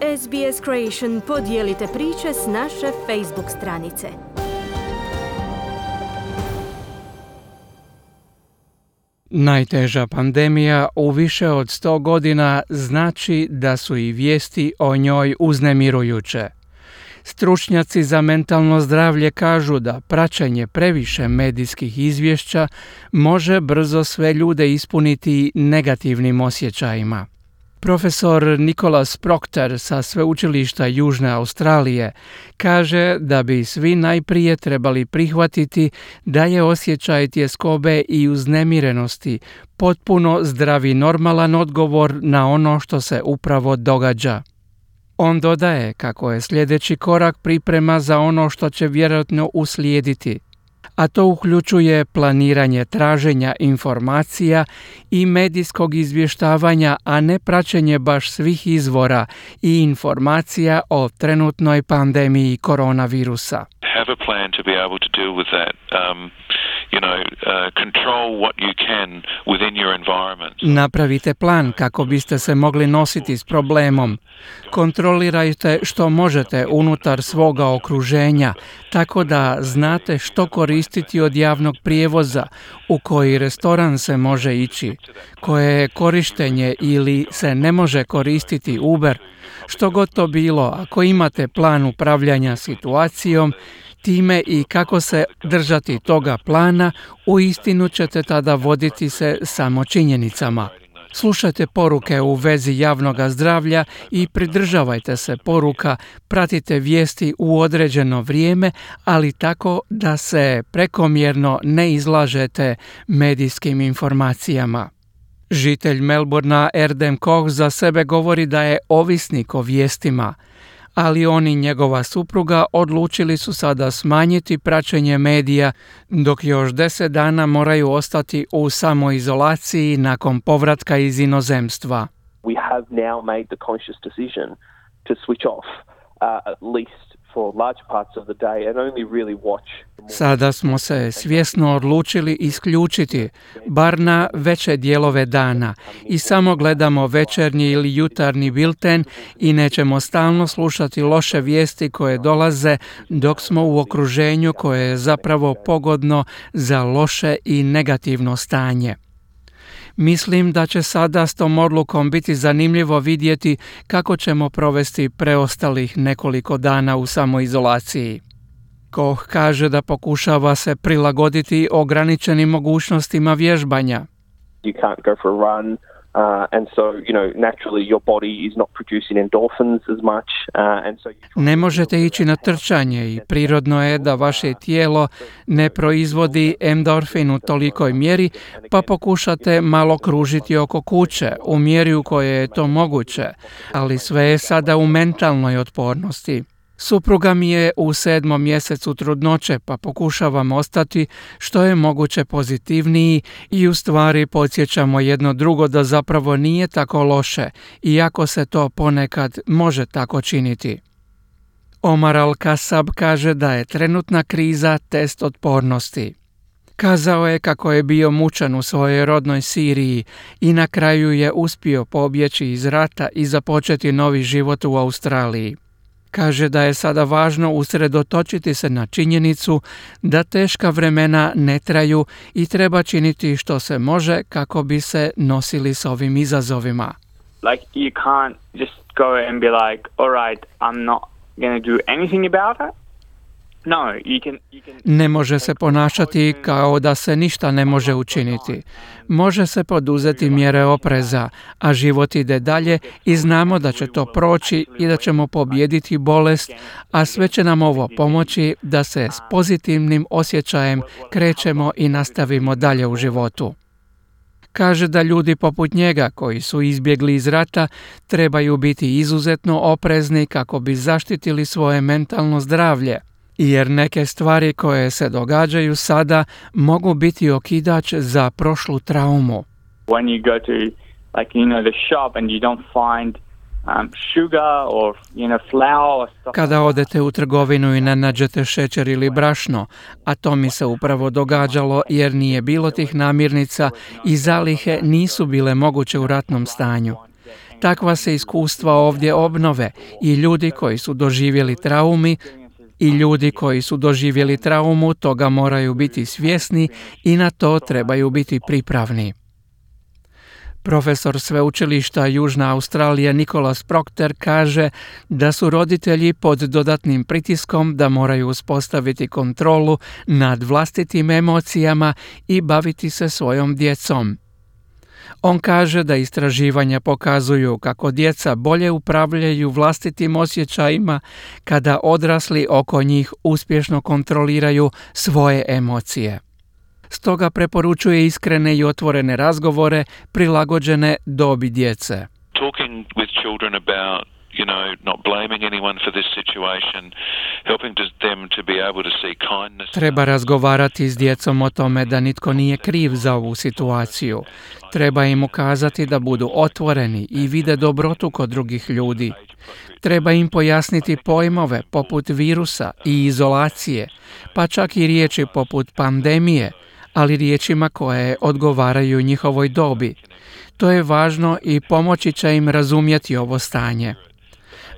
SBS Creation podijelite priče s naše Facebook stranice. Najteža pandemija u više od 100 godina znači da su i vijesti o njoj uznemirujuće. Stručnjaci za mentalno zdravlje kažu da praćenje previše medijskih izvješća može brzo sve ljude ispuniti negativnim osjećajima. Profesor Nicholas Proctor sa Sveučilišta Južne Australije kaže da bi svi najprije trebali prihvatiti da je osjećaj tjeskobe i uznemirenosti potpuno zdrav i normalan odgovor na ono što se upravo događa. On dodaje kako je sljedeći korak priprema za ono što će vjerojatno uslijediti, a to uključuje planiranje traženja informacija i medijskog izvještavanja, a ne praćenje baš svih izvora i informacija o trenutnoj pandemiji koronavirusa. Have a plan to be able to deal with that. Control what you can within your environment. Napravite plan kako biste se mogli nositi s problemom. Kontrolirajte što možete unutar svoga okruženja, tako da znate što koristiti od javnog prijevoza, u koji restoran se može ići, koje je korištenje ili se ne može koristiti Uber. Što god to bilo, ako imate plan upravljanja situacijom, time i kako se držati toga plana, uistinu ćete tada voditi se samo činjenicama. Slušajte poruke u vezi javnog zdravlja i pridržavajte se poruka, pratite vijesti u određeno vrijeme, ali tako da se prekomjerno ne izlažete medijskim informacijama. Žitelj Melbournea Erdem Koch za sebe govori da je ovisnik o vijestima, ali on i njegova supruga odlučili su sada smanjiti praćenje medija, dok još 10 dana moraju ostati u samoizolaciji nakon povratka iz inozemstva. We have now made the conscious decision to switch off at least for large parts of the day and only really watch. Sada smo se svjesno odlučili isključiti, bar na veće dijelove dana, i samo gledamo večernji ili jutarnji bilten i nećemo stalno slušati loše vijesti koje dolaze dok smo u okruženju koje je zapravo pogodno za loše i negativno stanje. Mislim da će sada s tom odlukom biti zanimljivo vidjeti kako ćemo provesti preostalih nekoliko dana u samoizolaciji. Koch kaže da pokušava se prilagoditi ograničenim mogućnostima vježbanja. You can't go for a run. And so, naturally your body is not producing endorphins as much. Ne možete ići na trčanje i prirodno je da vaše tijelo ne proizvodi endorfin u tolikoj mjeri, pa pokušate malo kružiti oko kuće u mjeri u kojoj je to moguće, ali sve je sada u mentalnoj otpornosti. Supruga mi je u 7. mjesecu trudnoće, pa pokušavam ostati što je moguće pozitivniji i u stvari podsjećamo jedno drugo da zapravo nije tako loše, iako se to ponekad može tako činiti. Omar Al-Kasab kaže da je trenutna kriza test otpornosti. Kazao je kako je bio mučan u svojoj rodnoj Siriji i na kraju je uspio pobjeći iz rata i započeti novi život u Australiji. Kaže da je sada važno usredotočiti se na činjenicu da teška vremena ne traju i treba činiti što se može kako bi se nosili s ovim izazovima. Like you can't just go and be like, all right, I'm not going to do anything about it. No, you can... Ne može se ponašati kao da se ništa ne može učiniti. Može se poduzeti mjere opreza, a život ide dalje i znamo da će to proći i da ćemo pobijediti bolest, a sve će nam ovo pomoći da se s pozitivnim osjećajem krećemo i nastavimo dalje u životu. Kaže da ljudi poput njega koji su izbjegli iz rata trebaju biti izuzetno oprezni kako bi zaštitili svoje mentalno zdravlje, jer neke stvari koje se događaju sada mogu biti okidač za prošlu traumu. When you go to the shop and you don't find sugar or flour or stuff. Kada odete u trgovinu i ne nađete šećer ili brašno, a to mi se upravo događalo jer nije bilo tih namirnica i zalihe nisu bile moguće u ratnom stanju. Takva se iskustva ovdje obnove i ljudi koji su doživjeli traumu toga moraju biti svjesni i na to trebaju biti pripravni. Profesor sveučilišta Južna Australija Nicholas Proctor kaže da su roditelji pod dodatnim pritiskom da moraju uspostaviti kontrolu nad vlastitim emocijama i baviti se svojom djecom. On kaže da istraživanja pokazuju kako djeca bolje upravljaju vlastitim osjećajima kada odrasli oko njih uspješno kontroliraju svoje emocije. Stoga preporučuje iskrene i otvorene razgovore prilagođene dobi djece. Talking with children about, not blaming anyone for this situation, helping them to be able to see kindness. Treba razgovarati s djecom o tome da nitko nije kriv za ovu situaciju. Treba im ukazati da budu otvoreni i vide dobrotu kod drugih ljudi. Treba im pojasniti pojmove poput virusa i izolacije, pa čak i riječi poput pandemije, ali riječima koje odgovaraju njihovoj dobi. To je važno i pomoći će im razumjeti ovo stanje.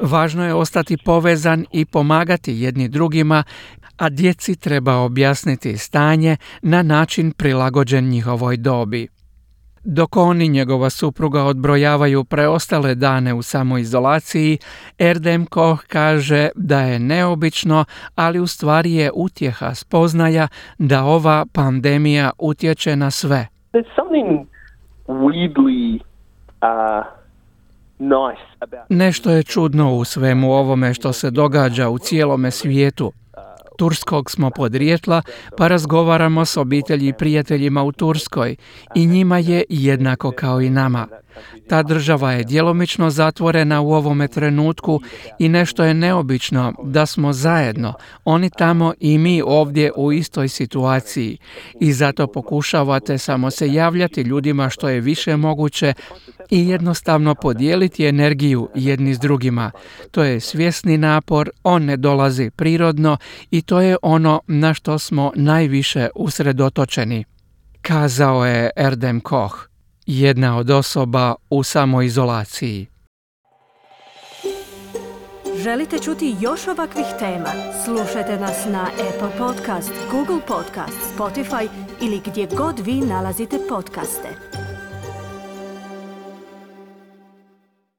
Važno je ostati povezan i pomagati jedni drugima, a djeci treba objasniti stanje na način prilagođen njihovoj dobi. Dok on i njegova supruga odbrojavaju preostale dane u samoizolaciji, Erdem Koch kaže da je neobično, ali u stvari je utjeha spoznaja da ova pandemija utječe na sve. There's something weirdly nice about... Nešto je čudno u svemu ovome što se događa u cijelome svijetu. Turskog smo podrijetla, pa razgovaramo s obitelji i prijateljima u Turskoj i njima je jednako kao i nama. Ta država je djelomično zatvorena u ovome trenutku i nešto je neobično da smo zajedno, oni tamo i mi ovdje u istoj situaciji. I zato pokušavate samo se javljati ljudima što je više moguće i jednostavno podijeliti energiju jedni s drugima. To je svjesni napor, on ne dolazi prirodno i to je ono na što smo najviše usredotočeni, kazao je Erdem Koch, jedna od osoba u samoizolaciji. Želite čuti još ovakvih tema? Slušajte nas na Apple Podcast, Google Podcast, Spotify ili gdje god vi nalazite podcaste.